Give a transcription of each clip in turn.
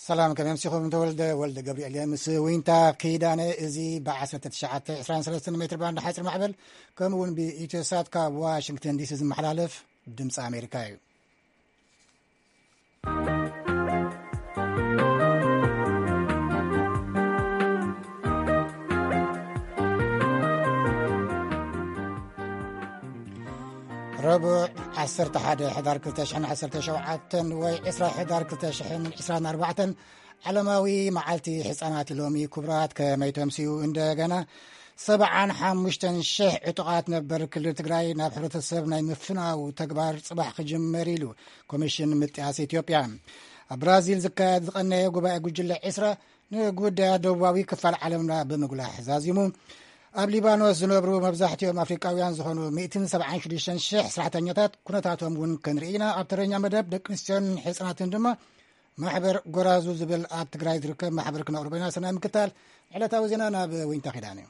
ሰላም፣ ከመይ ኣምሲኹም? ተወልደ ወልደ ገብርኤል እየ ምስ ዊንታ ኪዳነ። እዚ ብ1923 ሜትር ባንድ ሓፂር ማዕበል፣ ከምኡ እውን ብኢትዮሳት ካብ ዋሽንግተን ዲሲ ዝመሓላለፍ ድምፂ ኣሜሪካ እዩ። ረቡዕ፣ ዓሰርተ ሓደ ሕዳር ክልተ ሽሕን ዓሰርተ ሸውዓተን ወይ ዕስራ ሕዳር ክልተ ሽሕን ዕስራን ኣርባዕተን ዓለማዊ መዓልቲ ህጻናት ሎሚ። ክቡራት፣ ከመይ ተምስዩ? እንደገና ሰብዓን ሓሙሽተን ሽሕ ዕጡቓት ነበር ክልል ትግራይ ናብ ሕብረተሰብ ናይ ምፍናው ተግባር ጽባሕ ክጅመር ኢሉ ኮሚሽን ምጥያስ ኢትዮጵያ። ኣብ ብራዚል ዝካየድ ዝቐነየ ጉባኤ ጉጅለ ዕስራ ንጉዳያት ደቡባዊ ክፋል ዓለምና ብምጉላሕ ዛዚሙ። ኣብ ሊባኖስ ዝነብሩ መብዛሕትኦም ኣፍሪቃውያን ዝኾኑ ሚእትን ሰብዓን ሽዱሽተን ሽሕ ስራሕተኛታት ኩነታቶም እውን ክንርኢ ኢና። ኣብ ተረኛ መደብ ደቂ ኣንስትዮን ህጻናትን ድማ ማሕበር ጎራዙ ዝብል ኣብ ትግራይ ዝርከብ ማሕበር ክነቕርቦ ኢና። ሰናይ ምክታል። ዕለታዊ ዜና ናብ ዊንታ ኪዳን እዩ።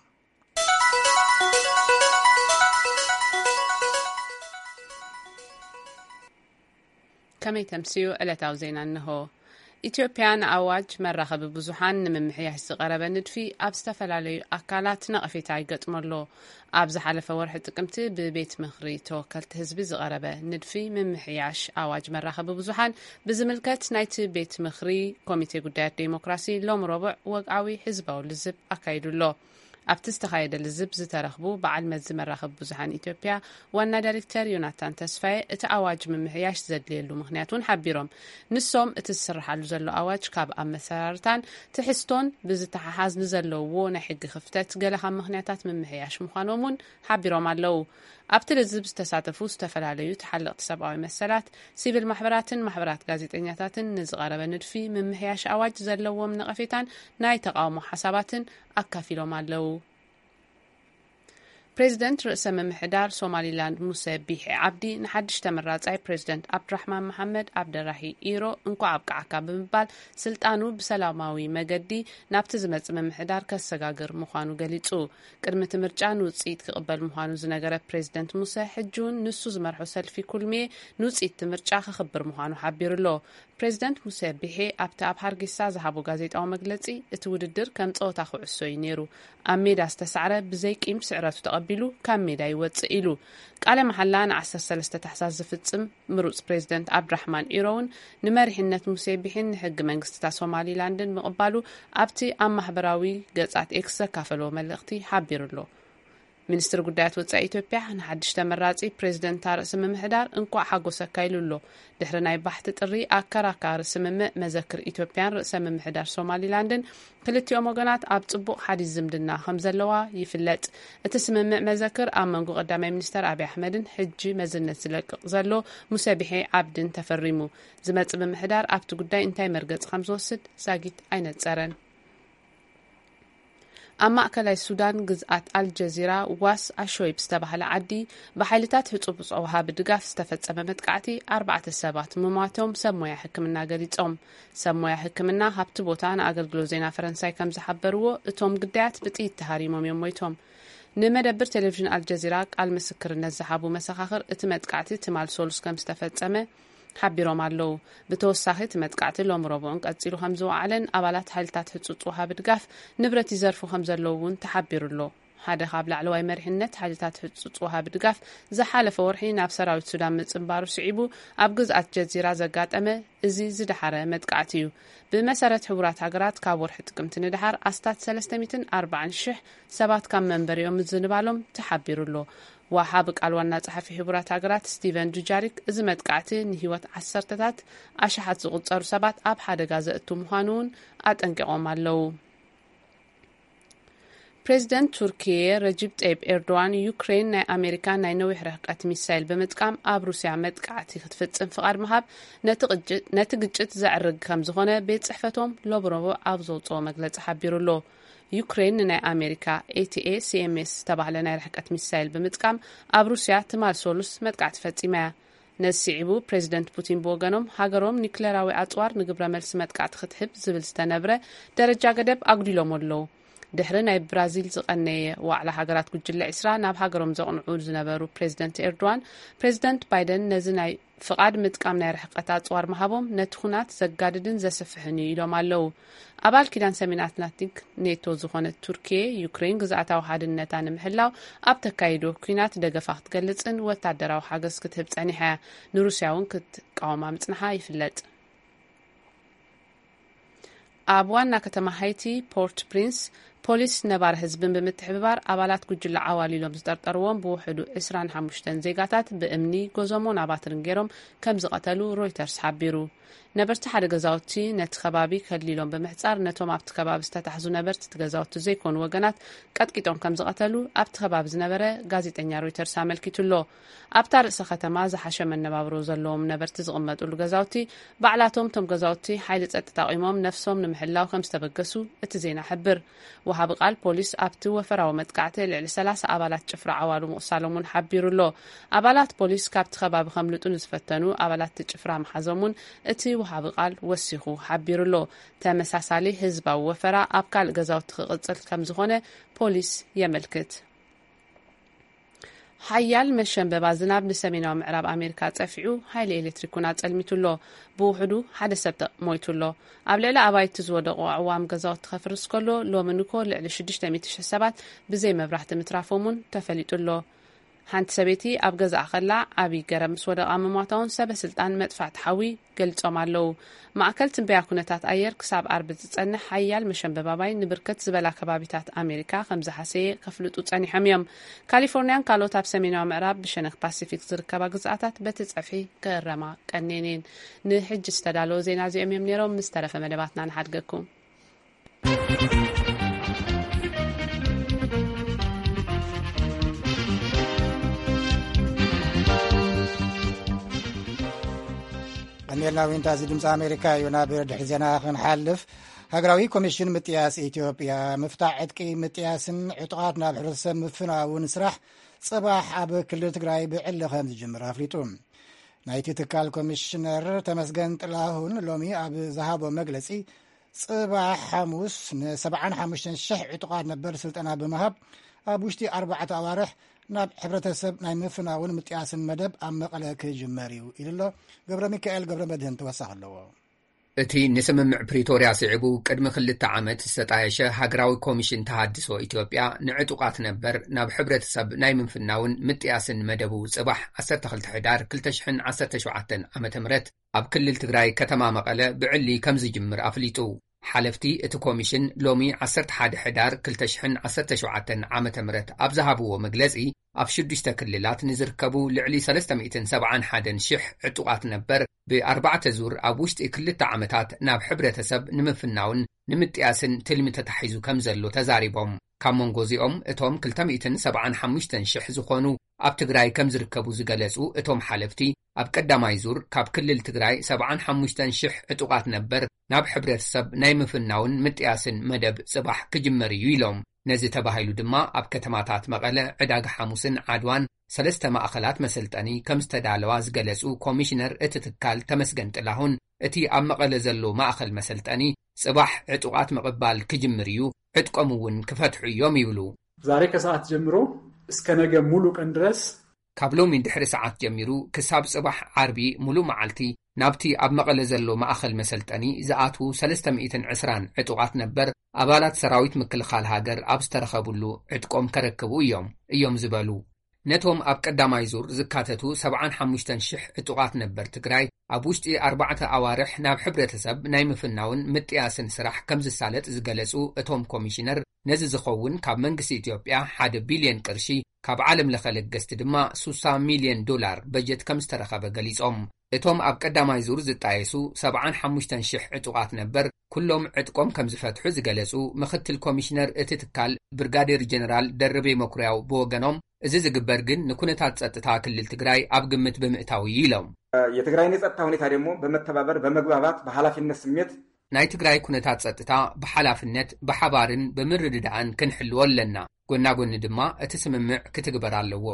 ከመይ ተምስዩ? ዕለታዊ ዜና እንሆ። ኢትዮጵያ ንኣዋጅ መራኸቢ ብዙሓን ንምምሕያሽ ዝቐረበ ንድፊ ኣብ ዝተፈላለዩ ኣካላት ነቐፌታ ይገጥሞ ኣሎ። ኣብ ዝሓለፈ ወርሒ ጥቅምቲ ብቤት ምኽሪ ተወከልቲ ህዝቢ ዝቐረበ ንድፊ ምምሕያሽ ኣዋጅ መራኸቢ ብዙሓን ብዝምልከት ናይቲ ቤት ምኽሪ ኮሚቴ ጉዳያት ዴሞክራሲ ሎም ረቡዕ ወግዓዊ ህዝባዊ ልዝብ ኣካይዱ ኣሎ። ኣብቲ ዝተኻየደ ልዝብ ዝተረኽቡ በዓል መዚ መራኸቢ ብዙሓን ኢትዮጵያ ዋና ዳይሬክተር ዮናታን ተስፋዬ፣ እቲ ኣዋጅ ምምሕያሽ ዘድልየሉ ምኽንያት እውን ሓቢሮም። ንሶም፣ እቲ ዝስርሓሉ ዘሎ ኣዋጅ ካብ ኣመሰራርታን ትሕዝቶን ብዝተሓሓዝ ንዘለውዎ ናይ ሕጊ ክፍተት ገለ ካብ ምኽንያታት ምምሕያሽ ምዃኖም እውን ሓቢሮም ኣለዉ። ኣብቲ ልዝብ ዝተሳተፉ ዝተፈላለዩ ተሓለቕቲ ሰብኣዊ መሰላት፣ ሲቪል ማሕበራትን ማሕበራት ጋዜጠኛታትን ንዝቐረበ ንድፊ ምምሕያሽ ኣዋጅ ዘለዎም ነቐፌታን ናይ ተቓውሞ ሓሳባትን ኣካፊሎም ኣለዉ። ፕሬዚደንት ርእሰ ምምሕዳር ሶማሊላንድ ሙሰ ቢሒ ዓብዲ ንሓድሽ ተመራጻይ ፕሬዚደንት ዓብድራሕማን መሓመድ ዓብደራሂ ኢሮ እንኳዕ ኣብቃዓካ ብምባል ስልጣኑ ብሰላማዊ መገዲ ናብቲ ዝመጽእ ምምሕዳር ከሰጋግር ምዃኑ ገሊጹ። ቅድሚ እቲ ምርጫ ንውጽኢት ክቕበል ምዃኑ ዝነገረ ፕሬዚደንት ሙሰ፣ ሕጂ እውን ንሱ ዝመርሖ ሰልፊ ኩልሚየ ንውጽኢት እቲ ምርጫ ከኽብር ምዃኑ ሓቢሩ ኣሎ። ፕሬዚደንት ሙሴ ቢሄ ኣብቲ ኣብ ሃርጌሳ ዝሃቦ ጋዜጣዊ መግለጺ፣ እቲ ውድድር ከም ጸወታ ኩዕሶ እዩ ነይሩ። ኣብ ሜዳ ዝተሳዕረ ብዘይ ቂም ስዕረቱ ተቐቢሉ ካብ ሜዳ ይወጽእ ኢሉ። ቃለ መሓላ ን13 ታሕሳስ ዝፍጽም ምሩጽ ፕሬዚደንት ኣብድራሕማን ኢሮ እውን ንመሪሕነት ሙሴ ቢሒን ንሕጊ መንግስቲታት ሶማሊላንድን ምቕባሉ ኣብቲ ኣብ ማሕበራዊ ገጻት ኤክስ ዘካፈለዎ መልእኽቲ ሓቢሩ ኣሎ። ሚኒስትሪ ጉዳያት ወጻኢ ኢትዮጵያ ንሓድሽ ተመራጺ ፕሬዚደንታ ርእሲ ምምሕዳር እንኳዕ ሓጎሰካ ኢሉ ኣሎ። ድሕሪ ናይ ባሕቲ ጥሪ ኣከራካሪ ስምምዕ መዘክር ኢትዮጵያን ርእሰ ምምሕዳር ሶማሊላንድን ክልቲኦም ወገናት ኣብ ጽቡቕ ሓዲስ ዝምድና ከም ዘለዋ ይፍለጥ። እቲ ስምምዕ መዘክር ኣብ መንጎ ቀዳማይ ሚኒስተር ኣብይ ኣሕመድን ሕጂ መዝነት ዝለቅቕ ዘሎ ሙሰ ቢሒ ዓብድን ተፈሪሙ። ዝመጽእ ምምሕዳር ኣብቲ ጉዳይ እንታይ መርገጺ ከም ዝወስድ ዛጊት ኣይነጸረን። ኣብ ማእከላይ ሱዳን ግዝኣት ኣልጀዚራ ዋስ ኣሾይብ ዝተባህለ ዓዲ ብሓይልታት ህጹጽ ወሃቢ ድጋፍ ዝተፈጸመ መጥቃዕቲ ኣርባዕተ ሰባት ምሟቶም ሰብ ሞያ ሕክምና ገሊጾም። ሰብ ሞያ ሕክምና ካብቲ ቦታ ንኣገልግሎት ዜና ፈረንሳይ ከም ዝሓበርዎ፣ እቶም ግዳያት ብጥይት ተሃሪሞም እዮም ሞይቶም። ንመደብር ቴሌቪዥን ኣልጀዚራ ቃል ምስክርነት ዝሃቡ መሰኻኽር፣ እቲ መጥቃዕቲ ትማል ሰሉስ ከም ዝተፈጸመ ሓቢሮም ኣለዉ። ብተወሳኺ፣ እቲ መጥቃዕቲ ሎም ረቡዕን ቀጺሉ ከም ዝወዓለን ኣባላት ሓይልታት ህጹጽ ወሃቢ ድጋፍ ንብረት ይዘርፉ ከም ዘለዉ እውን ተሓቢሩ ኣሎ። ሓደ ካብ ላዕለዋይ መሪሕነት ሓይልታት ህጹጽ ወሃቢ ድጋፍ ዝሓለፈ ወርሒ ናብ ሰራዊት ሱዳን ምጽንባሩ ስዒቡ ኣብ ግዝኣት ጀዚራ ዘጋጠመ እዚ ዝደሓረ መጥቃዕቲ እዩ። ብመሰረት ሕቡራት ሃገራት፣ ካብ ወርሒ ጥቅምቲ ንደሓር ኣስታት ሰለስተ ሚእትን ኣርባዓን ሽሕ ሰባት ካብ መንበሪኦም ምዝንባሎም ተሓቢሩ ኣሎ። ወሃቢ ቃል ዋና ጸሓፊ ሕቡራት ሃገራት ስቲቨን ዱጃሪክ፣ እዚ መጥቃዕቲ ንህይወት ዓሰርተታት ኣሽሓት ዝቑጸሩ ሰባት ኣብ ሓደጋ ዘእቱ ምዃኑ እውን ኣጠንቂቖም ኣለዉ። ፕሬዚደንት ቱርኪየ ረጂብ ጠይብ ኤርዶዋን፣ ዩክሬን ናይ ኣሜሪካ ናይ ነዊሕ ርሕቀት ሚሳይል ብምጥቃም ኣብ ሩስያ መጥቃዕቲ ክትፍጽም ፍቓድ ምሃብ ነቲ ቅጭ-፣ ነቲ ግጭት ዘዕርግ ከም ዝኾነ ቤት ጽሕፈቶም ሎም ረቡዕ ኣብ ዘውጽኦ መግለጺ ሓቢሩ ኣሎ። ዩክሬን ንናይ ኣሜሪካ ኤቲኤ ሲኤምኤስ ዝተባህለ ናይ ርሕቀት ሚሳይል ብምጥቃም ኣብ ሩስያ ትማል ሰሉስ መጥቃዕቲ ፈጺማ እያ። ነዚ ስዒቡ፣ ፕሬዚደንት ፑቲን ብወገኖም፣ ሃገሮም ኒክሌራዊ ኣጽዋር ንግብረ መልሲ መጥቃዕቲ ክትህብ ዝብል ዝተነብረ ደረጃ ገደብ ኣጉዲሎም ኣለዉ። ድሕሪ ናይ ብራዚል ዝቐነየ ዋዕላ ሃገራት ጉጅለ ዒስራ ናብ ሃገሮም ዘቕንዑ ዝነበሩ ፕሬዚደንት ኤርዶዋን፣ ፕሬዚደንት ባይደን ነዚ ናይ ፍቓድ ምጥቃም ናይ ርሕቀት ኣጽዋር ምሃቦም ነቲ ኩናት ዘጋድድን ዘስፍሕን እዩ ኢሎም ኣለዉ። ኣባል ኪዳን ሰሜን ኣትላንቲክ ኔቶ ዝኾነት ቱርኪየ፣ ዩክሬን ግዝኣታዊ ሓድነታ ንምሕላው ኣብ ተካይዶ ኩናት ደገፋ ክትገልጽን ወታደራዊ ሓገዝ ክትህብ ጸኒሓ እያ። ንሩስያ እውን ክትቃወማ ምጽንሓ ይፍለጥ። ኣብ ዋና ከተማ ሃይቲ ፖርት ፕሪንስ፣ ፖሊስ ነባሪ ህዝብን ብምትሕብባር ኣባላት ጉጅለ ዓዋል ኢሎም ዝጠርጠርዎም ብውሕዱ ዕስራን ሓሙሽተን ዜጋታት ብእምኒ፣ ጎዞሞን ኣባትርን ገይሮም ከም ዝቐተሉ ሮይተርስ ሓቢሩ። ነበርቲ ሓደ ገዛውቲ ነቲ ከባቢ ከሊሎም ብምሕጻር፣ ነቶም ኣብቲ ከባቢ ዝተታሕዙ ነበርቲ እቲ ገዛውቲ ዘይኮኑ ወገናት ቀጥቂጦም ከም ዝቐተሉ ኣብቲ ከባቢ ዝነበረ ጋዜጠኛ ሮይተርስ ኣመልኪቱ ኣሎ። ኣብታ ርእሰ ከተማ ዝሓሸ መነባብሮ ዘለዎም ነበርቲ ዝቕመጥሉ ገዛውቲ፣ ባዕላቶም እቶም ገዛውቲ ሓይሊ ጸጥታ ኣቑሞም ነፍሶም ንምሕላው ከም ዝተበገሱ እቲ ዜና ሕብር። ወሃቢ ቃል ፖሊስ ኣብቲ ወፈራዊ መጥቃዕቲ ልዕሊ ሰላሳ ኣባላት ጭፍራ ዓዋሉ ምቑሳሎም እውን ሓቢሩ ኣሎ። ኣባላት ፖሊስ ካብቲ ከባቢ ከምልጡ ንዝፈተኑ ኣባላት እቲ ጭፍራ ምሓዞም እውን እቲ ወሃቢ ቃል ወሲኹ ሓቢሩ ኣሎ። ተመሳሳሊ ህዝባዊ ወፈራ ኣብ ካልእ ገዛውቲ ክቕጽል ከም ዝኾነ ፖሊስ የመልክት። ሓያል መሸንበባ ዝናብ ንሰሜናዊ ምዕራብ ኣሜሪካ ጸፊዑ፣ ሓይሊ ኤሌክትሪክ እውን ኣጸልሚቱ ኣሎ። ብውሕዱ ሓደ ሰብ ተ-፣ ሞይቱ ኣሎ። ኣብ ልዕሊ ኣባይቲ ዝወደቑ ኣዕዋም ገዛውቲ ከፍርስ ከሎ፣ ሎሚ ንኮ ልዕሊ ሽዱሽተ ሚእቲ ሽሕ ሰባት ብዘይ መብራህቲ ምትራፎም እውን ተፈሊጡ ኣሎ። ሓንቲ ሰበይቲ ኣብ ገዛኣ ከላ ዓብዪ ገረብ ምስ ወደቓ ምሟታ እውን ሰበ ስልጣን መጥፋእቲ ሓዊ ገሊጾም ኣለዉ። ማእከል ትንበያ ኩነታት ኣየር ክሳብ ኣርቢ ዝጸንሕ ሓያል መሸንበባባይ ንብርክት ዝበላ ከባቢታት ኣሜሪካ ከም ዝሓሰየ ከፍልጡ ጸኒሖም እዮም። ካሊፎርኒያን ካልኦት ኣብ ሰሜናዊ ምዕራብ ብሸነኽ ፓሲፊክ ዝርከባ ግዝኣታት በቲ ጸፍሒ ክእረማ ቀንየን እየን። ንሕጂ ዝተዳለወ ዜና እዚኦም እዮም ነይሮም። ምስ ተረፈ መደባትና ንሓድገኩም። ቀኒልና ዊንታ፣ እዚ ድምፂ ኣሜሪካ እዩ። ናብ ድሕሪ ዜና ክንሓልፍ፣ ሃገራዊ ኮሚሽን ምጥያስ ኢትዮጵያ፣ ምፍታሕ ዕጥቂ ምጥያስን ዕጡቓት ናብ ሕብረተሰብ ምፍናውን ስራሕ ጽባሕ ኣብ ክልል ትግራይ ብዕሊ ከም ዝጅምር ኣፍሊጡ። ናይቲ ትካል ኮሚሽነር ተመስገን ጥላሁን ሎሚ ኣብ ዝሃቦ መግለጺ፣ ጽባሕ ሓሙስ ንሰብዓን ሓሙሽተን ሽሕ ዕጡቓት ነበር ስልጠና ብምሃብ፣ ኣብ ውሽጢ ኣርባዕተ ኣዋርሕ ናብ ሕብረተሰብ ናይ ምፍናውን ምጥያስን መደብ ኣብ መቐለ ክጅመር እዩ ኢሉ ኣሎ። ገብረ ሚካኤል ገብረ መድህን ተወሳኺ ኣለዎ። እቲ ንስምምዕ ፕሪቶርያ ስዒቡ ቅድሚ ክልተ ዓመት ዝተጣየሸ ሃገራዊ ኮሚሽን ተሃድሶ ኢትዮጵያ፣ ንዕጡቓት ነበር ናብ ሕብረተሰብ ናይ ምፍናውን ምጥያስን መደቡ፣ ጽባሕ ዓሰርተ ክልተ ሕዳር ክልተ ሽሕን ዓሰርተ ሸውዓተን ዓመተ ምህረት ኣብ ክልል ትግራይ ከተማ መቐለ ብዕሊ ከም ዝጅምር ኣፍሊጡ። ሓለፍቲ እቲ ኮሚሽን ሎሚ ዓሰርተ ሓደ ሕዳር ክልተ ሽሕን ዓሰርተ ሸውዓተን ዓመተ ምህረት ኣብ ዝሃብዎ መግለጺ፣ ኣብ ሽዱሽተ ክልላት ንዝርከቡ ልዕሊ ሰለስተ ሚእትን ሰብዓን ሓደን ሽሕ ዕጡቓት ነበር ብኣርባዕተ ዙር ኣብ ውሽጢ ክልተ ዓመታት ናብ ሕብረተሰብ ንምፍናውን ንምጥያስን ትልሚ ተታሒዙ ከም ዘሎ ተዛሪቦም። ካብ መንጎ እዚኦም እቶም ክልተ ሚእትን ሰብዓን ሓሙሽተን ሽሕ ዝኾኑ ኣብ ትግራይ ከም ዝርከቡ ዝገለጹ እቶም ሓለፍቲ፣ ኣብ ቀዳማይ ዙር ካብ ክልል ትግራይ ሰብዓን ሓሙሽተን ሽሕ ዕጡቓት ነበር ናብ ሕብረተሰብ ናይ ምፍናውን ምጥያስን መደብ ጽባሕ ክጅመር እዩ ኢሎም። ነዚ ተባሂሉ ድማ ኣብ ከተማታት መቐለ፣ ዕዳጋ ሓሙስን ዓድዋን ሰለስተ ማእኸላት መሰልጠኒ ከም ዝተዳለዋ ዝገለጹ ኮሚሽነር እቲ ትካል ተመስገን ጥላሁን፣ እቲ ኣብ መቐለ ዘሎ ማእኸል መሰልጠኒ ጽባሕ ዕጡቓት ምቕባል ክጅምር እዩ፣ ዕጥቆም እውን ክፈትሑ እዮም ይብሉ። ዛሬ ከሰዓት ጀምሮ እስከ ነገ ሙሉ ቀን ድረስ፣ ካብ ሎሚ ድሕሪ ሰዓት ጀሚሩ ክሳብ ጽባሕ ዓርቢ ሙሉ መዓልቲ ናብቲ ኣብ መቐለ ዘሎ ማእኸል መሰልጠኒ ዝኣትዉ ሰለስተ ሚእትን ዕስራን ዕጡቓት ነበር ኣባላት ሰራዊት ምክልኻል ሃገር ኣብ ዝተረኸብሉ ዕጥቆም ከረክቡ እዮም፣ እዮም ዝበሉ። ነቶም ኣብ ቀዳማይ ዙር ዝካተቱ ሰብዓን ሓሙሽተን ሽሕ ዕጡቓት ነበር ትግራይ፣ ኣብ ውሽጢ ኣርባዕተ ኣዋርሕ ናብ ሕብረተሰብ ናይ ምፍናውን ምጥያስን ስራሕ ከም ዝሳለጥ ዝገለጹ እቶም ኮሚሽነር፣ ነዚ ዝኸውን ካብ መንግስቲ ኢትዮጵያ ሓደ ቢልዮን ቅርሺ፣ ካብ ዓለም ለኸ ለገስቲ ድማ ሱሳ ሚልዮን ዶላር በጀት ከም ዝተረኸበ ገሊጾም። እቶም ኣብ ቀዳማይ ዙር ዝጣየሱ ሰብዓን ሓሙሽተን ሽሕ ዕጡቓት ነበር፣ ኩሎም ዕጥቆም ከም ዝፈትሑ ዝገለጹ ምኽትል ኮሚሽነር እቲ ትካል ብርጋዴር ጀነራል ደርቤ መኩርያው ብወገኖም፣ እዚ ዝግበር ግን ንኩነታት ጸጥታ ክልል ትግራይ ኣብ ግምት ብምእታው እዩ ኢሎም። የትግራይን የጸጥታ ሁኔታ ደግሞ በመተባበር በመግባባት በኃላፊነት ስሜት፣ ናይ ትግራይ ኩነታት ጸጥታ ብሓላፍነት፣ ብሓባርን ብምርድዳእን ክንሕልዎ ኣለና። ጎና ጎኒ ድማ እቲ ስምምዕ ክትግበር ኣለዎ።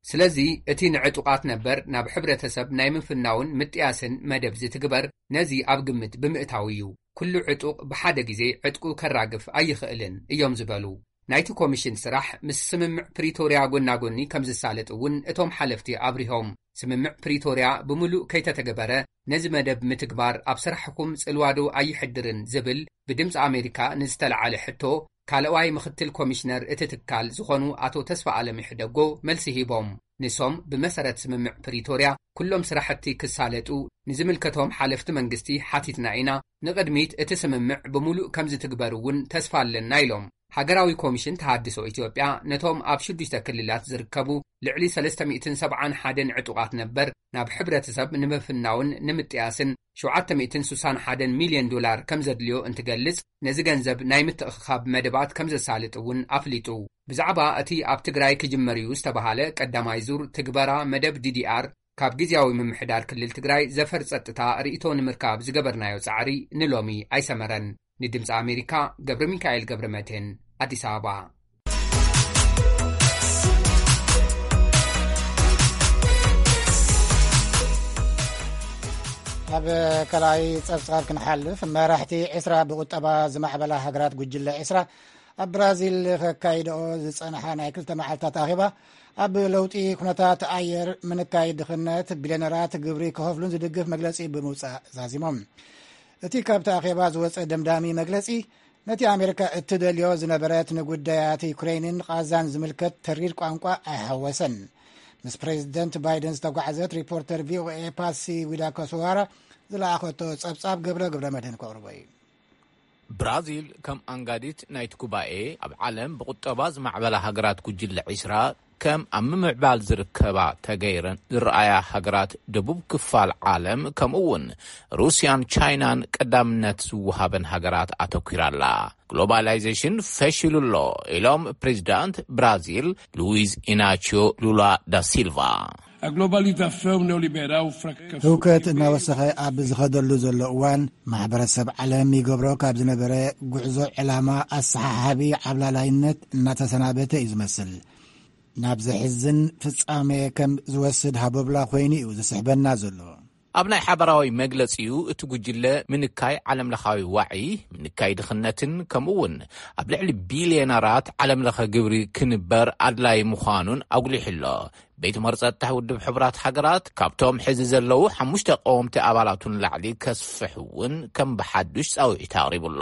ስለዚ እቲ ንዕጡቓት ነበር ናብ ሕብረተሰብ ናይ ምፍናውን ምጥያስን መደብ ዝትግበር ነዚ ኣብ ግምት ብምእታው እዩ። ኩሉ ዕጡቕ ብሓደ ግዜ ዕጥቁ ከራግፍ ኣይኽእልን እዮም ዝበሉ። ናይቲ ኮሚሽን ስራሕ ምስ ስምምዕ ፕሪቶርያ ጎናጎኒ ከም ዝሳለጥ እውን እቶም ሓለፍቲ ኣብሪሆም። ስምምዕ ፕሪቶርያ ብምሉእ ከይተተገበረ ነዚ መደብ ምትግባር ኣብ ስራሕኩም ጽልዋዶ ኣይሕድርን ዝብል ብድምፂ ኣሜሪካ ንዝተለዓለ ሕቶ ካልኣዋይ ምክትል ኮሚሽነር እቲ ትካል ዝኾኑ ኣቶ ተስፋ ኣለም ይሕደጎ መልሲ ሂቦም። ንሶም ብመሰረት ስምምዕ ፕሪቶርያ ኩሎም ስራሕቲ ክሳለጡ ንዝምልከቶም ሓለፍቲ መንግስቲ ሓቲትና ኢና። ንቕድሚት እቲ ስምምዕ ብምሉእ ከም ዝትግበር እውን ተስፋ ኣለና ኢሎም። ሃገራዊ ኮሚሽን ተሃድሶ ኢትዮጵያ ነቶም ኣብ ሽዱሽተ ክልላት ዝርከቡ ልዕሊ ሰለስተ ሚእትን ሰብዓን ሓደን ዕጡቓት ነበር ናብ ሕብረተሰብ ንምፍናውን ንምጥያስን ሸውዓተ ሚእትን ስሳን ሓደን ሚልዮን ዶላር ከም ዘድልዮ እንትገልጽ፣ ነዚ ገንዘብ ናይ ምትእኽኻብ መደባት ከም ዘሳልጥ እውን ኣፍሊጡ። ብዛዕባ እቲ ኣብ ትግራይ ክጅመር እዩ ዝተባሃለ ቀዳማይ ዙር ትግበራ መደብ ዲዲኣር ካብ ግዝያዊ ምምሕዳር ክልል ትግራይ ዘፈር ጸጥታ ርእይቶ ንምርካብ ዝገበርናዮ ጻዕሪ ንሎሚ ኣይሰመረን። ንድምፂ ኣሜሪካ ገብረ ሚካኤል ገብረ መድህን፣ ኣዲስ ኣበባ። ኣብ ካልኣይ ጸብጻብ ክንሓልፍ፣ መራሕቲ ዕስራ ብቁጠባ ዝማዕበላ ሃገራት ጉጅለ ዕስራ ኣብ ብራዚል ከካይድኦ ዝጸንሓ ናይ ክልተ መዓልታት ኣኼባ ኣብ ለውጢ ኩነታት ኣየር፣ ምንካይ ድኽነት፣ ቢልዮነራት ግብሪ ክኸፍሉን ዝድግፍ መግለጺ ብምውጻእ ዛዚሞም። እቲ ካብቲ ኣኼባ ዝወጸ ደምዳሚ መግለጺ፣ ነቲ ኣሜሪካ እትደልዮ ዝነበረት ንጉዳያት ዩክሬንን ቓዛን ዝምልከት ተሪር ቋንቋ ኣይሓወሰን። ምስ ፕሬዚደንት ባይደን ዝተጓዕዘት ሪፖርተር ቪኦኤ ፓሲ ዊዳኮስዋራ ዝለኣኸቶ ጸብጻብ ገብረ ገብረ መድህን ከቕርቦ እዩ። ብራዚል ከም ኣንጋዲት ናይቲ ጉባኤ ኣብ ዓለም ብቁጠባ ዝማዕበላ ሃገራት ጉጅለ ዒስራ ከም ኣብ ምምዕባል ዝርከባ ተገይረን ዝረኣያ ሃገራት ደቡብ ክፋል ዓለም ከምኡ እውን ሩስያን ቻይናን ቀዳምነት ዝወሃበን ሃገራት ኣተኲራ ኣላ። ግሎባላይዜሽን ፈሺሉ ኣሎ ኢሎም ፕሬዚዳንት ብራዚል ሉዊዝ ኢናቺዮ ሉላ ዳ ሲልቫ። A globalização neoliberal fracassou. ህውከት እናወሰኸ ኣብ ዝኸደሉ ዘሎ እዋን፣ ማሕበረሰብ ዓለም ይገብሮ ካብ ዝነበረ ጉዕዞ ዕላማ ኣሰሓሓቢ ዓብላላይነት እናተሰናበተ እዩ ዝመስል። ናብ ዘሕዝን ፍጻሜ ከም ዝወስድ ሃቦብላ ኮይኑ እዩ ዝስሕበና ዘሎ። ኣብ ናይ ሓባራዊ መግለጺኡ፣ እቲ ጉጅለ ምንካይ ዓለምለኻዊ ዋዒ፣ ምንካይ ድኽነትን ከምኡ እውን ኣብ ልዕሊ ቢልዮነራት ዓለምለኸ ግብሪ ክንበር ኣድላይ ምዃኑን ኣጉሊሑ ኣሎ። ቤት ምኽሪ ጸጥታ ውድብ ሕቡራት ሃገራት ካብቶም ሕዚ ዘለዉ ሓሙሽተ ቀወምቲ ኣባላቱ ንላዕሊ ከስፍሕ እውን ከም ብሓዱሽ ጻውዒት ኣቕሪቡ ኣሎ።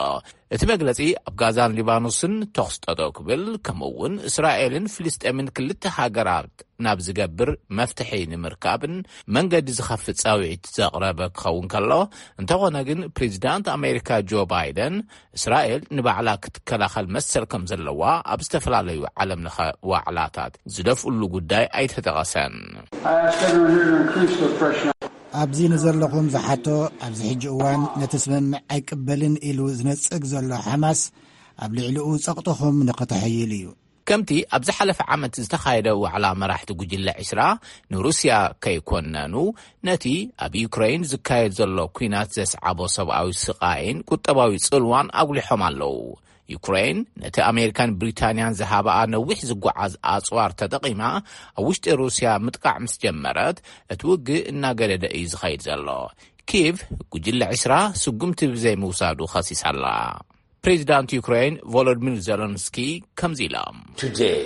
እቲ መግለጺ ኣብ ጋዛን ሊባኖስን ተኹሲ ጠጠው ክብል፣ ከምኡ እውን እስራኤልን ፍልስጤምን ክልተ ሃገራት ናብ ዝገብር መፍትሒ ንምርካብን መንገዲ ዝኸፍት ጻውዒት ዘቕረበ ክኸውን ከሎ፣ እንተኾነ ግን ፕሬዚዳንት ኣሜሪካ ጆ ባይደን እስራኤል ንባዕላ ክትከላኸል መሰል ከም ዘለዋ ኣብ ዝተፈላለዩ ዓለም ለኸ ዋዕላታት ዝደፍእሉ ጉዳይ ኣይተጠቐሰን። I ask everyone here to increase the pressure. ኣብዚ ንዘለኹም ዝሓቶ፣ ኣብዚ ሕጂ እዋን ነቲ ስምምዕ ኣይቅበልን ኢሉ ዝነጽግ ዘሎ ሓማስ ኣብ ልዕሊኡ ጸቕጥኹም ንኽተሐይል እዩ። ከምቲ ኣብ ዝሓለፈ ዓመት ዝተኻየደ ዋዕላ መራሕቲ ጉጅለ ዒስራ ንሩስያ ከይኮነኑ፣ ነቲ ኣብ ዩክረይን ዝካየድ ዘሎ ኲናት ዘስዓቦ ሰብኣዊ ስቓይን ቁጠባዊ ጽልዋን ኣጉሊሖም ኣለዉ። ዩክረይን ነቲ ኣሜሪካን ብሪታንያን ዝሃባኣ ነዊሕ ዝጓዓዝ ኣጽዋር ተጠቒማ ኣብ ውሽጢ ሩስያ ምጥቃዕ ምስ ጀመረት፣ እቲ ውግእ እናገደደ እዩ ዝኸይድ ዘሎ። ኪቭ ጉጅለ ዒስራ ስጉምቲ ብዘይምውሳዱ ኸሲሳ ኣላ። ፕሬዚዳንት ዩክሬን ቮሎዲሚር ዜለንስኪ ከምዚ ኢሎም። Today,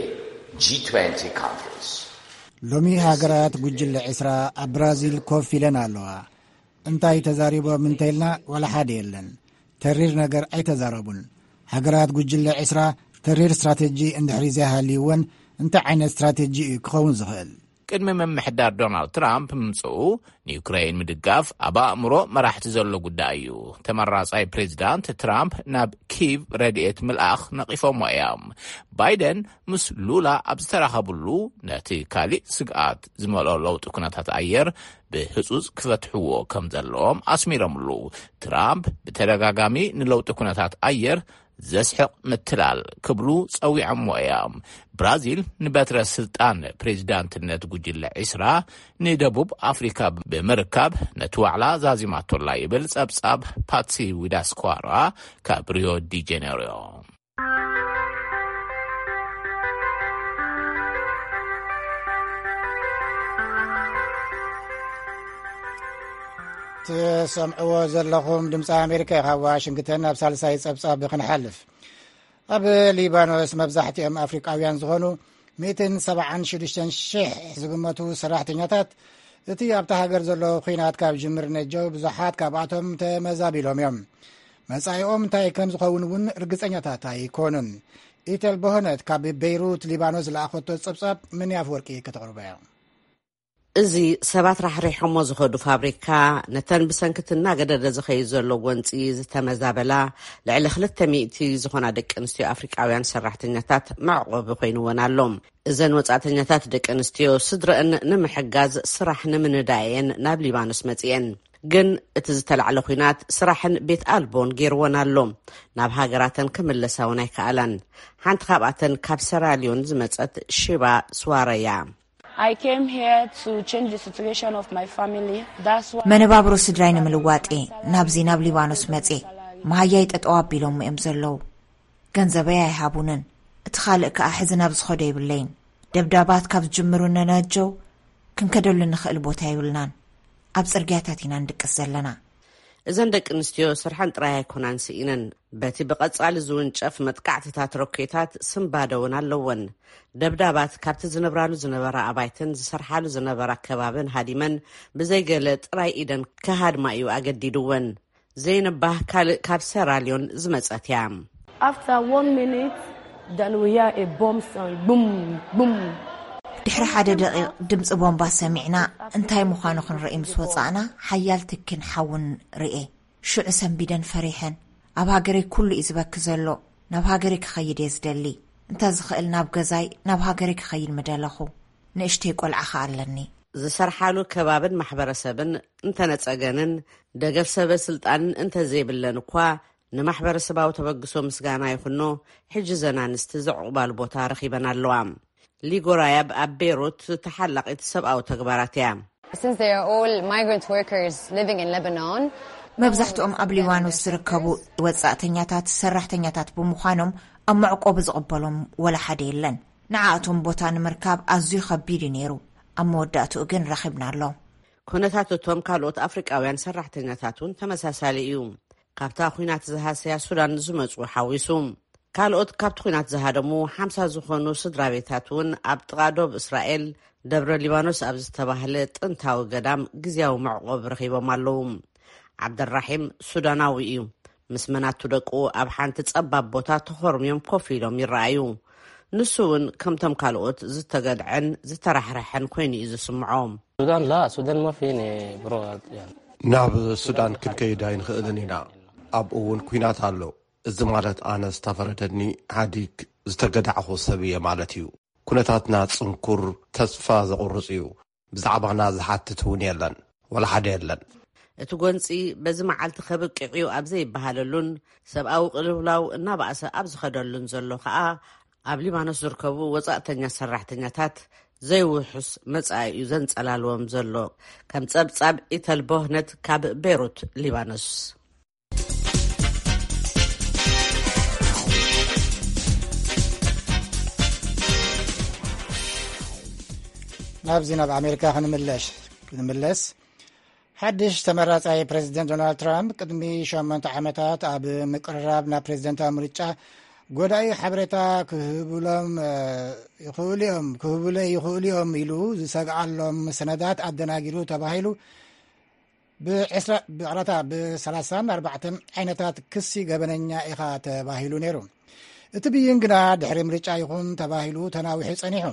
G twenty countries ሎሚ ሃገራት ጉጅለ ዕስራ ኣብ ብራዚል ኮፍ ኢለን ኣለዋ። እንታይ ተዛሪቦም እንተኢልና፣ ዋላ ሓደ የለን። ተሪር ነገር ኣይተዛረቡን። ሃገራት ጉጅለ ዕስራ ተሪር ስትራተጂ እንድሕሪ ዘይሃልይወን፣ እንታይ ዓይነት ስትራተጂ እዩ ክኸውን ዝኽእል? ቅድሚ ምምሕዳር ዶናልድ ትራምፕ ምምፅኡ ንዩክሬን ምድጋፍ ኣብ ኣእምሮ መራሕቲ ዘሎ ጉዳይ እዩ። ተመራጻይ ፕሬዚዳንት ትራምፕ ናብ ኪቭ ረድኤት ምልኣኽ ነቒፎሞ እዮም። ባይደን ምስ ሉላ ኣብ ዝተራኸብሉ፣ ነቲ ካሊእ ስግኣት ዝመልኦ ለውጢ ኩነታት ኣየር ብህጹጽ ክፈትሕዎ ከም ዘለዎም ኣስሚሮምሉ። ትራምፕ ብተደጋጋሚ ንለውጢ ኩነታት ኣየር ዘስሕቕ ምትላል ክብሉ ጸዊዖሞ እዮም። ብራዚል ንበትረ ስልጣን ፕሬዚዳንትነት ጉጅለ ዒስራ ንደቡብ ኣፍሪካ ብምርካብ ነቲ ዋዕላ ዛዚማቶላ ይብል ጸብጻብ ፓትሲ ዊዳስኳራ ካብ ሪዮ ዲ ጀኔሮ። ትሰምዕዎ ዘለኹም ድምፂ ኣሜሪካ እዩ። ካብ ዋሽንግተን ናብ ሳልሳይ ፀብፃብ ክንሓልፍ። ኣብ ሊባኖስ መብዛሕትኦም ኣፍሪቃውያን ዝኾኑ ሚእትን ሰብዓን ሽዱሽተን ሽሕ ዝግመቱ ሰራሕተኛታት እቲ ኣብታ ሃገር ዘሎ ኲናት ካብ ጅምር ነጀው ብዙሓት ካብኣቶም ተመዛቢሎም እዮም። መጻኢኦም እንታይ ከም ዝኸውን እውን ርግጸኛታት ኣይኮኑን። ኢተል ቦህነት ካብ ቤይሩት ሊባኖስ ዝለኣኸቶ ጸብጻብ ምን ኣፍወርቂ ከተቕርቦ እያ። እዚ ሰባት ራሕሪሖሞ ዝኸዱ ፋብሪካ ነተን ብሰንክቲ እናገደደ ዝኸይድ ዘሎ ጎንፂ ዝተመዛበላ ልዕሊ ክልተ ሚእቲ ዝኾና ደቂ ኣንስትዮ ኣፍሪቃውያን ሰራሕተኛታት መዕቆቢ ኮይንወን ኣሎ። እዘን ወፃእተኛታት ደቂ ኣንስትዮ ስድረአን ንምሕጋዝ ስራሕ ንምንዳየን ናብ ሊባኖስ መፅኤን። ግን እቲ ዝተላዕለ ኲናት ስራሕን ቤት ኣልቦን ገይርወን ኣሎ። ናብ ሃገራተን ክምለሳ እውን ኣይከኣላን። ሓንቲ ካብኣተን ካብ ሰራልዮን ዝመፀት ሽባ ስዋረያ። I came here to change the situation of my family. That's why መነባብሮ ስድራይ ንምልዋጥ እየ ናብዚ ናብ ሊባኖስ መጽየ። መሃያይ ጠጠው ኣቢሎሞ እዮም ዘለዉ። ገንዘበይ ኣይሃቡንን። እቲ ካልእ ከኣ ሕዚ ናብ ዝኸዶ የብለይን። ደብዳባት ካብ ዝጅምሩ ነናጀው ክንከደሉ ንኽእል ቦታ የብልናን። ኣብ ጽርግያታት ኢና ንድቅስ ዘለና። እዘን ደቂ ኣንስትዮ ስርሐን ጥራይ ኣይኮናን ስኢነን። በቲ ብቐጻሊ ዝውንጨፍ መጥቃዕትታት ሮኬታት ስንባደ እውን ኣለወን። ደብዳባት ካብቲ ዝነብራሉ ዝነበራ ኣባይትን ዝሰርሓሉ ዝነበራ ከባብን ሃዲመን ብዘይገለ ጥራይ ኢደን ክሃድማ እዩ ኣገዲድወን። ዘይንባህ ካልእ ካብ ሰራልዮን ዝመጸት እያ። After one minute, then we hear a bomb sound. Boom, boom. ድሕሪ ሓደ ደቂቕ ድምፂ ቦምባ ሰሚዕና እንታይ ምዃኑ ክንርኢ ምስ ወፃእና ሓያል ትኪን ሓውን ርኤ። ሽዑ ሰንቢደን ፈሪሐን። ኣብ ሃገረይ ኩሉ እዩ ዝበኪ ዘሎ። ናብ ሃገረይ ክኸይድ እየ ዝደሊ። እንተ ዝኽእል ናብ ገዛይ ናብ ሃገረይ ክኸይድ ምደለኹ። ንእሽተይ ቆልዓ ኸኣ ኣለኒ። ዝሰርሓሉ ከባብን ማሕበረሰብን እንተነጸገንን ደገፍ ሰበ ስልጣንን እንተዘይብለን እኳ ንማሕበረሰባዊ ተበግሶ ምስጋና ይኹኖ ሕጂ ዘን ኣንስቲ ዘዕቑባሉ ቦታ ረኺበን ኣለዋ። ሊጎራያብ ኣብ ቤይሩት ተሓላቒት ሰብኣዊ ተግባራት እያ። Since they are all migrant workers living in Lebanon, መብዛሕትኦም ኣብ ሊባኖስ ዝርከቡ ወጻእተኛታት ሰራሕተኛታት ብምዃኖም ኣብ መዕቆቢ ዝቕበሎም ወላ ሓደ የለን። ንዓኣቶም ቦታ ንምርካብ ኣዝዩ ኸቢድ እዩ ነይሩ። ኣብ መወዳእትኡ ግን ረኺብና ኣሎ። ኩነታት እቶም ካልኦት ኣፍሪቃውያን ሰራሕተኛታት እውን ተመሳሳሊ እዩ። ካብታ ኲናት ዝሃሰያ ሱዳን ዝመጹ ሓዊሱ። ካልኦት ካብቲ ኲናት ዝሃደሙ ሓምሳ ዝኾኑ ስድራ ቤታት እውን ኣብ ጥቓ ዶብ እስራኤል ደብረ ሊባኖስ ኣብ ዝተባህለ ጥንታዊ ገዳም ግዝያዊ መዕቆብ ረኺቦም ኣለዉ። ዓብደራሒም ሱዳናዊ እዩ። ምስ መናቱ ደቁ ኣብ ሓንቲ ጸባብ ቦታ ተኾርምዮም ኮፍ ኢሎም ይረኣዩ። ንሱ እውን ከምቶም ካልኦት ዝተገድዐን ዝተራሕረሐን ኮይኑ እዩ ዝስምዖ። ሱዳን ላ ሱዳን ማፊ ኔ ብሮ ናብ ሱዳን ክንከይድ ኣይንኽእልን ኢና። ኣብኡ እውን ኲናት ኣሎ። እዚ ማለት ኣነ ዝተፈረደኒ ሓዲግ ዝተገዳዕኹ ሰብ እየ ማለት እዩ። ኩነታትና ጽንኩር፣ ተስፋ ዘቑርጽ እዩ። ብዛዕባና ዝሓትት እውን የለን፣ ወላ ሓደ የለን። እቲ ጎንጺ በዚ መዓልቲ ከብቅዕ እዩ ኣብ ዘይበሃለሉን ሰብኣዊ ቅልውላው እናባእሰ ኣብ ዝኸደሉን ዘሎ ከኣ ኣብ ሊባኖስ ዝርከቡ ወጻእተኛ ሰራሕተኛታት ዘይውሑስ መጻኢ እዩ ዘንጸላልዎም ዘሎ። ከም ጸብጻብ ኢተል ቦህነት ካብ ቤሩት ሊባኖስ። ናብዚ ናብ ኣሜሪካ ክንምለሽ ክንምለስ ሓድሽ ተመራጻይ ፕሬዚደንት ዶናልድ ትራምፕ ቅድሚ ሸሞንተ ዓመታት ኣብ ምቅርራብ ናብ ፕሬዚደንታዊ ምርጫ ጎዳኢ ሓበሬታ ክህብሎም ይኽእሉ እዮም ክህብለ ይኽእሉ እዮም ኢሉ ዝሰግዓሎም ሰነዳት ኣደናጊሩ ተባሂሉ ብዕስራ ብዕራታ ብ34 ዓይነታት ክሲ ገበነኛ ኢኻ ተባሂሉ ነይሩ። እቲ ብይን ግና ድሕሪ ምርጫ ይኹን ተባሂሉ ተናዊሑ ጸኒሑ።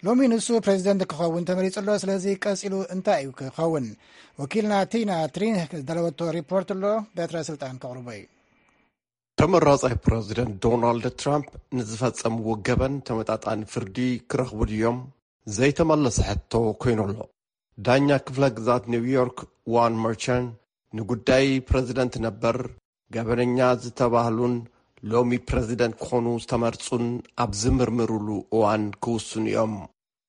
ሎሚ ንሱ ፕሬዚደንት ክኸውን ተመሪጹ ኣሎ። ስለዚ ቀጺሉ እንታይ እዩ ክኸውን? ወኪልና ቲና ትሪን ዝዳለወቶ ሪፖርት ኣሎ። በትረ ስልጣን ከቕርቦ እዩ። ተመራጻይ ፕረዚደንት ዶናልድ ትራምፕ ንዝፈጸምዎ ገበን ተመጣጣኒ ፍርዲ ክረኽቡ ድዮም ዘይተመለሰ ሕቶ ኮይኑ ኣሎ። ዳኛ ክፍለ ግዛት ኒውዮርክ ዋን መርቸን ንጉዳይ ፕረዚደንት ነበር ገበነኛ ዝተባህሉን ሎሚ ፕረዚደንት ክኾኑ ዝተመርጹን ኣብ ዝምርምሩሉ እዋን ክውስኑ እዮም።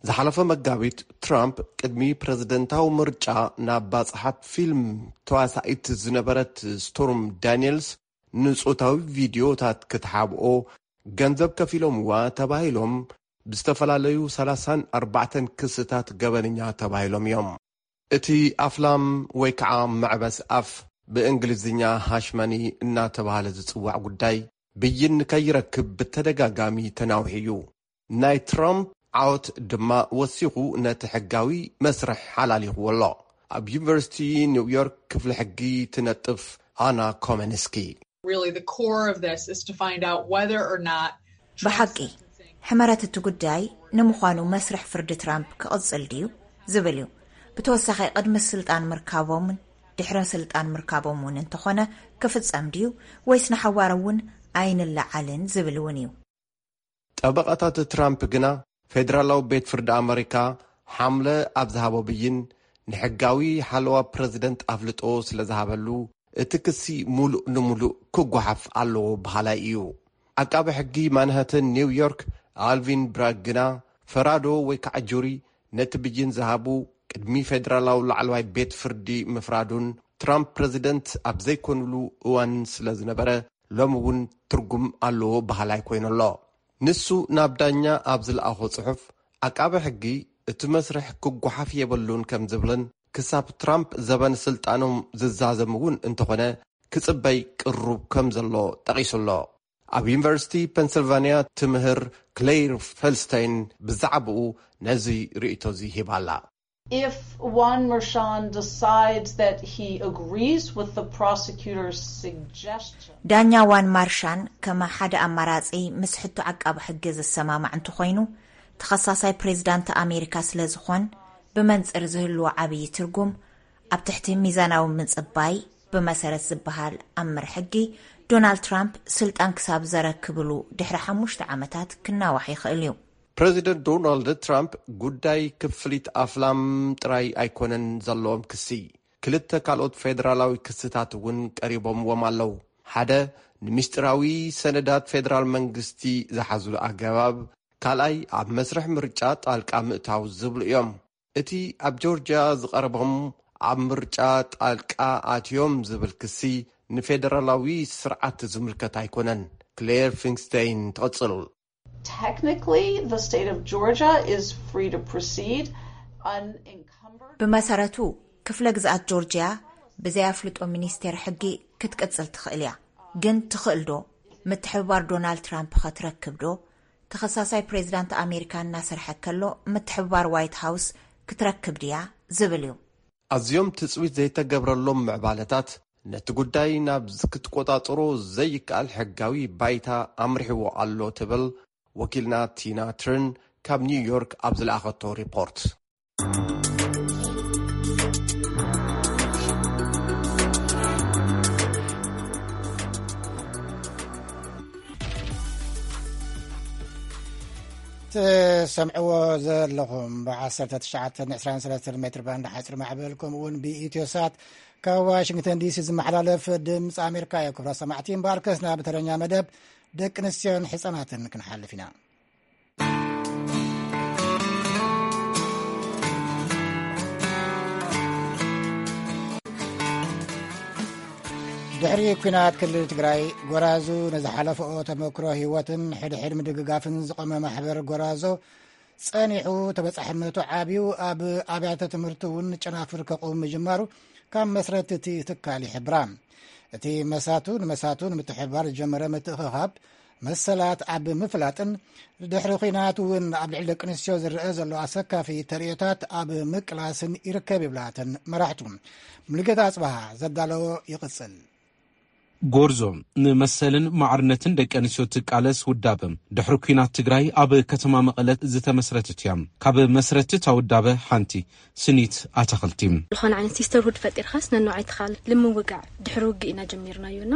ዝሓለፈ መጋቢት ትራምፕ ቅድሚ ፕረዚደንታዊ ምርጫ ናብ ባጽሓት ፊልም ተዋሳኢት ዝነበረት ስቶርም ዳኒየልስ ንጾታዊ ቪድዮታት ክትሓብኦ ገንዘብ ከፊሎምዋ ተባሂሎም ብዝተፈላለዩ ሰላሳን ኣርባዕተን ክስታት ገበነኛ ተባሂሎም እዮም። እቲ ኣፍላም ወይ ከዓ መዕበስ ኣፍ፣ ብእንግሊዝኛ ሃሽመኒ እናተባህለ ዝጽዋዕ ጉዳይ፣ ብይን ከይረክብ ብተደጋጋሚ ተናውሒ እዩ። ናይ ትራምፕ ዓወት ድማ ወሲኹ ነቲ ሕጋዊ መስርሕ ሓላሊኽዎ ኣሎ። ኣብ ዩኒቨርሲቲ ኒውዮርክ ክፍሊ ሕጊ ትነጥፍ ኣና ኮመንስኪ፣ Really, the core of this is to find out whether or not ብሓቂ ሕመረት እቲ ጉዳይ ንምዃኑ መስርሕ ፍርዲ ትራምፕ ክቕጽል ድዩ ዝብል እዩ። ብተወሳኺ ቅድሚ ስልጣን ምርካቦምን ድሕሪ ስልጣን ምርካቦም እውን እንተኾነ ክፍጸም ድዩ ወይስ ንሓዋር እውን ኣይንለዓልን ዝብል እውን እዩ። ጠበቓታት ትራምፕ ግና ፌደራላዊ ቤት ፍርዲ ኣመሪካ ሓምለ ኣብ ዝሃቦ ብይን፣ ንሕጋዊ ሓለዋ ፕረዚደንት ኣፍልጦ ስለ ዝሃበሉ፣ እቲ ክሲ ሙሉእ ንሙሉእ ክጓሓፍ ኣለዎ በሃላይ እዩ። ዓቃቢ ሕጊ ማንሃተን ኒውዮርክ ኣልቪን ብራግ ግና፣ ፈራዶ ወይ ከዓ ጁሪ ነቲ ብይን ዝሃቡ ቅድሚ ፌደራላዊ ላዕለዋይ ቤት ፍርዲ ምፍራዱን፣ ትራምፕ ፕረዚደንት ኣብ ዘይኮኑሉ እዋን ስለ ዝነበረ፣ ሎሚ እውን ትርጉም ኣለዎ በሃላይ ኮይኑ ኣሎ። ንሱ ናብ ዳኛ ኣብ ዝለኣኾ ጽሑፍ፣ ዓቃቢ ሕጊ እቲ መስርሕ ክጓሓፍ የብሉን ከም ዝብልን፣ ክሳብ ትራምፕ ዘበን ስልጣኖም ዝዛዘም እውን እንተኾነ፣ ክጽበይ ቅሩብ ከም ዘሎ ጠቒሱ ኣሎ። ኣብ ዩኒቨርሲቲ ፔንስልቫንያ ትምህር ክሌይር ፈልስተይን ብዛዕባኡ ነዚ ርእይቶ እዚ ሂባ ኣላ። If Juan Merchan decides that he agrees with the prosecutor's suggestion, ዳኛ ዋን ማርሻን ከመ ሓደ ኣማራጺ ምስ ሕቶ ዓቃቢ ሕጊ ዝሰማማዕ እንተኾይኑ፣ ተኸሳሳይ ፕሬዝዳንት ኣሜሪካ ስለ ዝኾን፣ ብመንጽር ዝህልዎ ዓብዪ ትርጉም ኣብ ትሕቲ ሚዛናዊ ምጽባይ ብመሰረት ዝበሃል ኣምር ሕጊ፣ ዶናልድ ትራምፕ ስልጣን ክሳብ ዘረክብሉ ድሕሪ ሓሙሽተ ዓመታት ክናዋሕ ይኽእል እዩ። ፕረዚደንት ዶናልድ ትራምፕ ጉዳይ ክፍሊት ኣፍላም ጥራይ ኣይኮነን ዘለዎም ክሲ። ክልተ ካልኦት ፌደራላዊ ክስታት እውን ቀሪቦምዎም ኣለዉ። ሓደ፣ ንምስጢራዊ ሰነዳት ፌደራል መንግስቲ ዝሓዙ ኣገባብ፣ ካልኣይ፣ ኣብ መስርሕ ምርጫ ጣልቃ ምእታው ዝብሉ እዮም። እቲ ኣብ ጆርጅያ ዝቐረቦም፣ ኣብ ምርጫ ጣልቃ ኣትዮም ዝብል ክሲ፣ ንፌደራላዊ ስርዓት ዝምልከት ኣይኮነን። ክሌር ፊንክስቴይን ትቕጽል። Technically, the state of Georgia is free to proceed unencumbered. ብመሰረቱ፣ ክፍለ ግዝኣት ጆርጅያ ብዘይ ኣፍልጦ ሚኒስቴር ሕጊ ክትቅጽል ትኽእል እያ። ግን ትኽእል ዶ? ምትሕብባር ዶናልድ ትራምፕ ኸ ትረክብ ዶ? ተኸሳሳይ ፕሬዝዳንት ኣሜሪካ እናሰርሐ ከሎ ምትሕብባር ዋይት ሃውስ ክትረክብ ድያ ዝብል እዩ። ኣዝዮም ትጽቢት ዘይተገብረሎም ምዕባለታት፣ ነቲ ጉዳይ ናብ ክትቆጻጽሮ ዘይከኣል ሕጋዊ ባይታ ኣምሪሕዎ ኣሎ ትብል ወኪልና ቲና ትርን ካብ ኒውዮርክ ኣብ ዝለኣኸቶ ሪፖርት። ትሰምዕዎ ዘለኹም ብ19 23 ሜትር ባንድ ሓፂር ማዕበል፣ ከምኡ እውን ብኢትዮሳት ካብ ዋሽንግተን ዲሲ ዝመሓላለፍ ድምፂ ኣሜሪካ እዩ። ክብራ ሰማዕቲ፣ እምበኣርከስ ናብ ተረኛ መደብ ደቂ ኣንስትዮን ሕፃናትን ክንሓልፍ ኢና። ድሕሪ ኲናት ክልል ትግራይ፣ ጎራዙ ንዝሓለፈኦ ተመክሮ ህይወትን ሕድሕድ ምድግጋፍን ዝቖመ ማሕበር ጎራዞ ጸኒሑ፣ ተበጻሕነቱ ዓብዩ፣ ኣብ ኣብያተ ትምህርቲ እውን ጨናፍር ከቑም ምጅማሩ ካብ መስረት እቲ ትካል ይሕብራ። እቲ መሳቱ ንመሳቱ ንምትሕብባር ዝጀመረ ምትእኽኻብ መሰላት ኣብ ምፍላጥን ድሕሪ ኲናት እውን ኣብ ልዕሊ ደቂ ኣንስትዮ ዝረአ ዘሎ ኣሰካፊ ተርእዮታት ኣብ ምቅላስን ይርከብ ይብላ እተን መራሕቱ። ሙሉጌታ ኣጽብሃ ዘዳለዎ ይቕጽል። ጎርዞ ንመሰልን ማዕርነትን ደቂ ኣንስትዮ ትቃለስ ውዳበ፣ ድሕሪ ኲናት ትግራይ ኣብ ከተማ መቐለ ዝተመስረተት እያ። ካብ መስረቲ እታ ውዳበ ሓንቲ ስኒት ኣታኽልቲ። ዝኾነ ዓይነት ሲስተርሁድ ፈጢርካስ ነንባዕልኻ ልምውጋዕ ድሕሪ ውግእ ኢና ጀሚርናዮ እና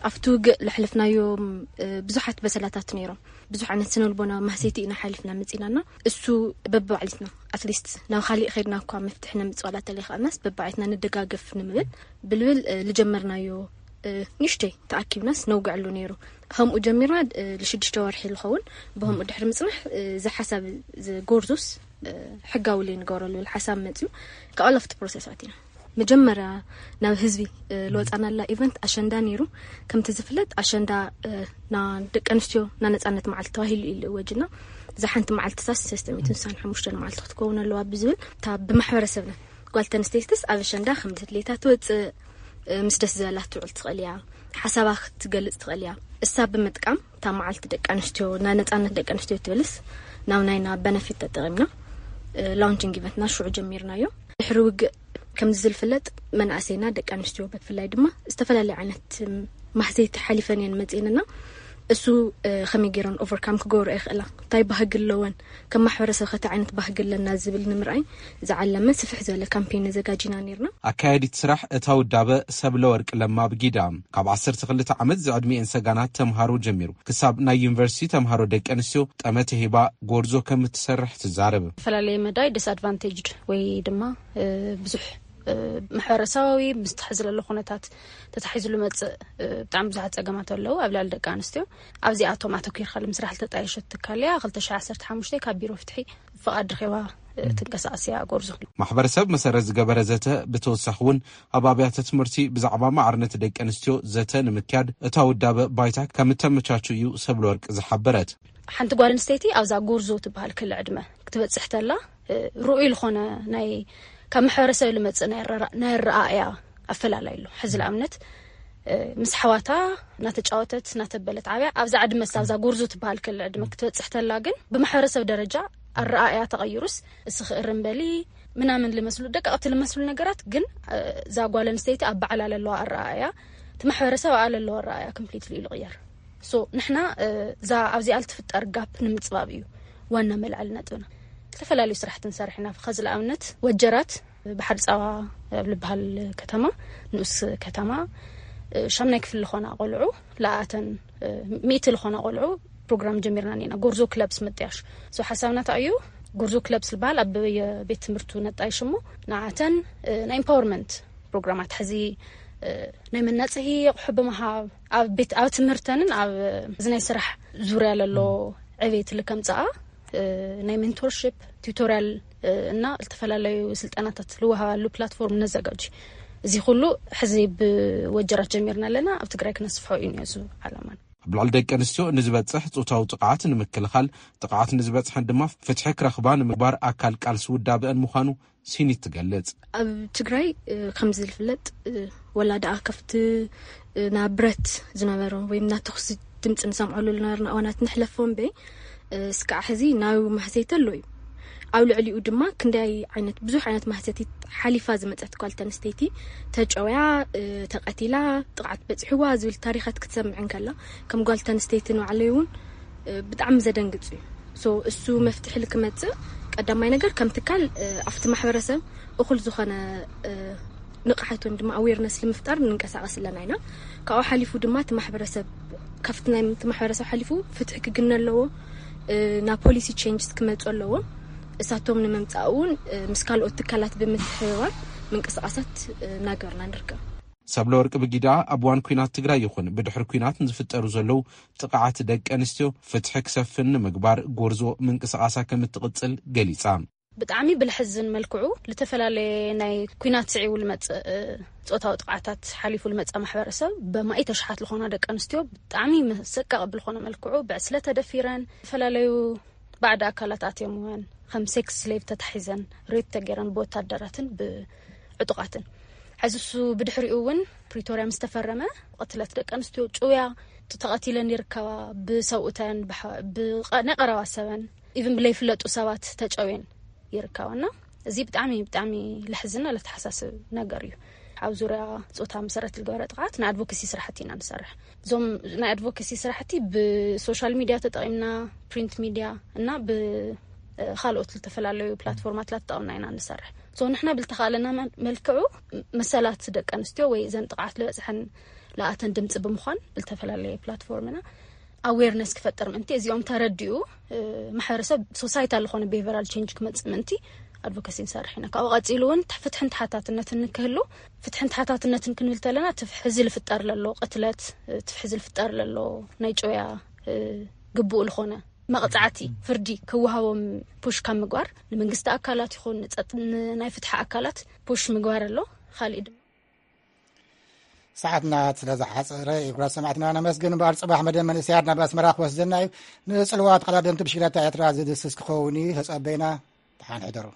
ኣብቲ ውግእ ለሕለፍናዮም ብዙሓት በሰላታት ነይሮም። ብዙሕ ዓይነት ስነልቦና ማህሰይቲ ኢና ሓሊፍና መፂና እና እሱ በብባዕሊትና ኣትሊስት ናብ ካሊእ ከድና እኳ መፍትሒ ነምፅእ ዋላ ተለይኸኣልናስ በብባዕሊትና ንደጋገፍ ንምብል ብልብል ልጀመርናዮ ንሽተይ ተኣኪብናስ ነውግዐሉ ነይሩ። ከምኡ ጀሚርና ልሽዱሽተ ወርሒ ዝኸውን ብከምኡ ድሕሪ ምፅናሕ እዚ ሓሳብ ጎርዞስ ሕጋዊ ለይ ንገብረሉ ሓሳብ መፅዩ። ከኣለፍቲ ፕሮሰሳት ኢና መጀመርያ ናብ ህዝቢ ልወፃናላ ኢቨንት ኣሸንዳ ነይሩ። ከምቲ ዝፍለጥ ኣሸንዳ ና ደቂ ኣንስትዮ ና ነፃነት መዓልቲ ተባሂሉ እዩ ልእወጅና። እዛ ሓንቲ መዓልቲ ሳስ ሰለስተ ሚእትን ስሳን ሓሙሽተን መዓልቲ ክትከውን ኣለዋ ብዝብል እታ ብማሕበረሰብና ጓል ተንስተይትስ ኣብ ኣሸንዳ ከም ድሌታ ትወፅእ፣ ምስ ደስ ዝበላ ትውዕል ትኽእል እያ። ሓሳባ ክትገልፅ ትኽእል እያ። እሳ ብምጥቃም እታ መዓልቲ ደቂ ኣንስትዮ፣ ናይ ነፃነት ደቂ ኣንስትዮ ትብልስ ናብ ናይና በነፊት ተጠቒምና ላውንቺንግ ኢቨንትና ሽዑ ጀሚርናዮ። ድሕሪ ውግእ ከምዚ ዝፍለጥ መናእሰይና ደቂ ኣንስትዮ ብፍላይ ድማ ዝተፈላለዩ ዓይነት ማህሰይቲ ሓሊፈን እየን መፅእንና። እሱ ከመይ ገይረን ኦቨርካም ክገብሩ ይኽእላ፣ እንታይ ባህጊ ኣለወን፣ ከም ማሕበረሰብ ከቲ ዓይነት ባህጊ ኣለና ዝብል ንምርኣይ ዝዓለመ ስፍሕ ዝበለ ካምፔን ነዘጋጂና ነርና። ኣካያዲት ስራሕ እታ ውዳበ ሰብለ ወርቅ ለማ ብጊዳ፣ ካብ ዓሰርተ ክልተ ዓመት ዝዕድሚኤን ሰጋናት ተምሃሮ ጀሚሩ ክሳብ ናይ ዩኒቨርሲቲ ተምሃሮ ደቂ ኣንስትዮ ጠመተ ሂባ ጎርዞ ከም እትሰርሕ ትዛረብ። ዝተፈላለየ መዳይ ዲስኣድቫንቴጅድ ወይ ድማ ብዙሕ ማሕበረሰባዊ ምስ ተሓዚ ዘሎ ኩነታት ተታሒዙ ዝመፅእ ብጣዕሚ ብዙሓት ፀገማት ኣለዉ ኣብ ልዕሊ ደቂ ኣንስትዮ። ኣብዚኣቶም ኣተኪርካ ንምስራሕ ዝተጣየሸት ትካል እያ። ክልተ ሽሕ ዓሰርተ ሓሙሽተ ካብ ቢሮ ፍትሒ ፍቓድ ረኺባ ትንቀሳቐስ እያ ጎርዞ። ማሕበረሰብ መሰረት ዝገበረ ዘተ ብተወሳኺ እውን ኣብ ኣብያተ ትምህርቲ ብዛዕባ ማዕርነት ደቂ ኣንስትዮ ዘተ ንምክያድ እታ ውዳበ ባይታ ከም እተመቻቹ እዩ ሰብለ ወርቅ ዝሓበረት። ሓንቲ ጓል ኣንስተይቲ ኣብዛ ጎርዞ ትበሃል ክሊ ዕድመ ክትበፅሕ ተላ ርኡይ ዝኾነ ናይ ካብ ማሕበረሰብ ልመፅእ ናይ ኣረኣእያ ኣፈላላይ ኣሎ። ሕዚ ንኣብነት ምስ ሓዋታ እናተጫወተት እናተበለት ዓብያ ኣብዛ ዕድመ ኣብዛ ጎርዞ ትበሃል ክሊ ዕድመ ክትበፅሕ ተላ ግን ብማሕበረሰብ ደረጃ ኣረኣእያ ተቐይሩስ እስ ክእርም በሊ ምናምን ልመስሉ ደቀቕቲ ልመስሉ ነገራት ግን እዛ ጓል ኣንስተይቲ ኣብ ባዕላ ለለዋ ኣረኣእያ እቲ ማሕበረሰብ ኣኣ ለለዋ ኣረኣእያ ኮምፕሊትሊ እዩ ልቕየር። ሶ ንሕና እዛ ኣብዚኣ ልትፍጠር ጋፕ ንምፅባብ እዩ ዋና መልዓሊ ነጥብና። ዝተፈላለዩ ስራሕቲ ንሰርሕ ኢና። ከዚ ንኣብነት ወጀራት ባሕሪ ፃባ ኣብ ልበሃል ከተማ ንኡስ ከተማ ሻምናይ ክፍሊ ዝኾና ቆልዑ ለኣተን ሚእቲ ዝኾና ቆልዑ ፕሮግራም ጀሚርና ኒና ጎርዞ ክለብስ ምጥያሽ። ሶ ሓሳብና እንታይ እዩ? ጎርዞ ክለብስ ዝበሃል ኣብ የቤት ትምህርቱ ነጣይሽ እሞ ንኣተን ናይ ኢምፓወርመንት ፕሮግራማት ሕዚ ናይ መናፅሂ ኣቑሑ ብምሃብ ኣብ ቤት ኣብ ትምህርተንን ኣብ እዚ ናይ ስራሕ ዙርያ ለሎ ዕቤት ልከምፅኣ ናይ ሜንቶርሽፕ ቱቶሪያል እና ዝተፈላለዩ ስልጠናታት ልወሃባሉ ፕላትፎርም ነዘጋጅ። እዚ ኩሉ ሕዚ ብወጀራት ጀሚርና ኣለና። ኣብ ትግራይ ክነስፍሖ እዩ ነዚ ዓላማን። ኣብ ልዕሊ ደቂ ኣንስትዮ ንዝበፅሕ ፆታዊ ጥቕዓት ንምክልኻል፣ ጥቕዓት ንዝበፅሐን ድማ ፍትሒ ክረኽባ ንምግባር ኣካል ቃልሲ ውዳበአን ምዃኑ ሲኒት ትገልጽ። ኣብ ትግራይ ከም ዝፍለጥ ወላ ደኣ ከፍቲ ናብ ብረት ዝነበረ ወይ ናብ ተኹሲ ድምፂ ንሰምዐሉ ዝነበርና እዋናት ንሕለፎ እምበይ እስካዕ ሕዚ ናብ ማህሰይቲ ኣሎ እዩ። ኣብ ልዕሊኡ ድማ ክንደይ ዓይነት ብዙሕ ዓይነት ማህሰቲት ሓሊፋ ዝመፀት ጓል ተንስተይቲ ተጨውያ፣ ተቐቲላ፣ ጥቕዓት በፂሕዋ ዝብል ታሪኻት ክትሰምዕ እንከላ ከም ጓል ተንስተይቲ ንባዕለይ እውን ብጣዕሚ ዘደንግፅ እዩ። ሶ እሱ መፍትሒ ልክመፅእ ቀዳማይ ነገር ከም ትካል ኣብቲ ማሕበረሰብ እኹል ዝኾነ ንቕሓት ወይም ድማ ኣዌርነስ ንምፍጣር ንንቀሳቐስ ኣለና ኢና። ካብኡ ሓሊፉ ድማ እቲ ማሕበረሰብ ካብቲ ናይ እቲ ማሕበረሰብ ሓሊፉ ፍትሒ ክግነ ኣለዎ። ናብ ፖሊሲ ቼንጅስ ክመፁ ኣለዎም። እሳቶም ንምምፃእ እውን ምስ ካልኦት ትካላት ብምትሕብባር ምንቅስቃሳት እናገርና ንርከብ። ሰብለ ወርቂ ብጊዳ ኣብ እዋን ኩናት ትግራይ ይኹን ብድሕሪ ኩናት ንዝፍጠሩ ዘለዉ ጥቕዓት ደቂ ኣንስትዮ ፍትሒ ክሰፍን ንምግባር ጎርዞ ምንቅስቃሳ ከም እትቕፅል ገሊፃ። ብጣዕሚ ብልሕዝን መልክዑ ልተፈላለየ ናይ ኩናት ስዒቡ ልመፅእ ጾታዊ ጥቕዓታት ሓሊፉ ልመፅእ ማሕበረሰብ በማኢት ኣሽሓት ልኾና ደቂ ኣንስትዮ ብጣዕሚ መሰቀቕ ብልኾነ መልክዑ ብዕስለ ተደፊረን ዝተፈላለዩ ባዕዲ ኣካላት ኣትዮም እውን ከም ሴክስ ስሌቭ ተታሒዘን ሬፕ ተገይረን ብወታደራትን ብዕጡቓትን። ሕዚ እሱ ብድሕሪኡ እውን ፕሪቶርያ ምስ ተፈረመ ቅትለት ደቂ ኣንስትዮ ጭውያ ተቐቲለን ይርከባ። ብሰብኡተን ናይ ቀረባ ሰበን ኢቭን ብለይፍለጡ ሰባት ተጨውየን ይርከባና። እዚ ብጣዕሚ ብጣዕሚ ለሕዝና ለተሓሳስብ ነገር እዩ። ኣብ ዙርያ ፆታ መሰረት ዝገበረ ጥቕዓት ናይ ኣድቮኬሲ ስራሕቲ ኢና ንሰርሕ። እዞም ናይ ኣድቮኬሲ ስራሕቲ ብሶሻል ሚድያ ተጠቒምና ፕሪንት ሚድያ እና ብካልኦት ዝተፈላለዩ ፕላትፎርማት ላተጠቐምና ኢና ንሰርሕ። ሶ ንሕና ብልተኻእለና መልክዑ መሰላት ደቂ ኣንስትዮ ወይ እዘን ጥቕዓት ልበፅሐን ለኣተን ድምፂ ብምዃን ብልተፈላለየ ፕላትፎርምና ኣዌርነስ ክፈጥር ምእንቲ እዚኦም ተረዲኡ ማሕበረሰብ ሶሳይታ ዝኾነ ቢሄቨራል ቼንጅ ክመፅእ ምእንቲ ኣድቮኬሲ ንሰርሕ ኢና። ካብኡ ቀፂሉ እውን ፍትሕን ተሓታትነትን ንክህሉ ፍትሕን ተሓታትነትን ክንብል ተለና ትፍሕዚ ልፍጠር ለሎ ቅትለት ትፍሕዚ ልፍጠር ለሎ ናይ ጨውያ ግቡእ ልኾነ መቕፃዕቲ ፍርዲ ክወሃቦም ፑሽ ካብ ምግባር ንመንግስቲ ኣካላት ይኹን ናይ ፍትሒ ኣካላት ፑሽ ምግባር ኣሎ። ካሊእ ድማ ሰዓትና ስለ ዝሓፀረ ክቡራት ሰማዕትና ነመስግን እምበር ፅባሕ መደብ መንእሰያት ናብ ኣስመራ ክወስደና እዩ። ንፅልዋ ተቐዳደምቲ ብሽክለታ ኤርትራ ዝድስስ ክኸውን እዩ። ተፀበይና። ደሓን ሕደሩ።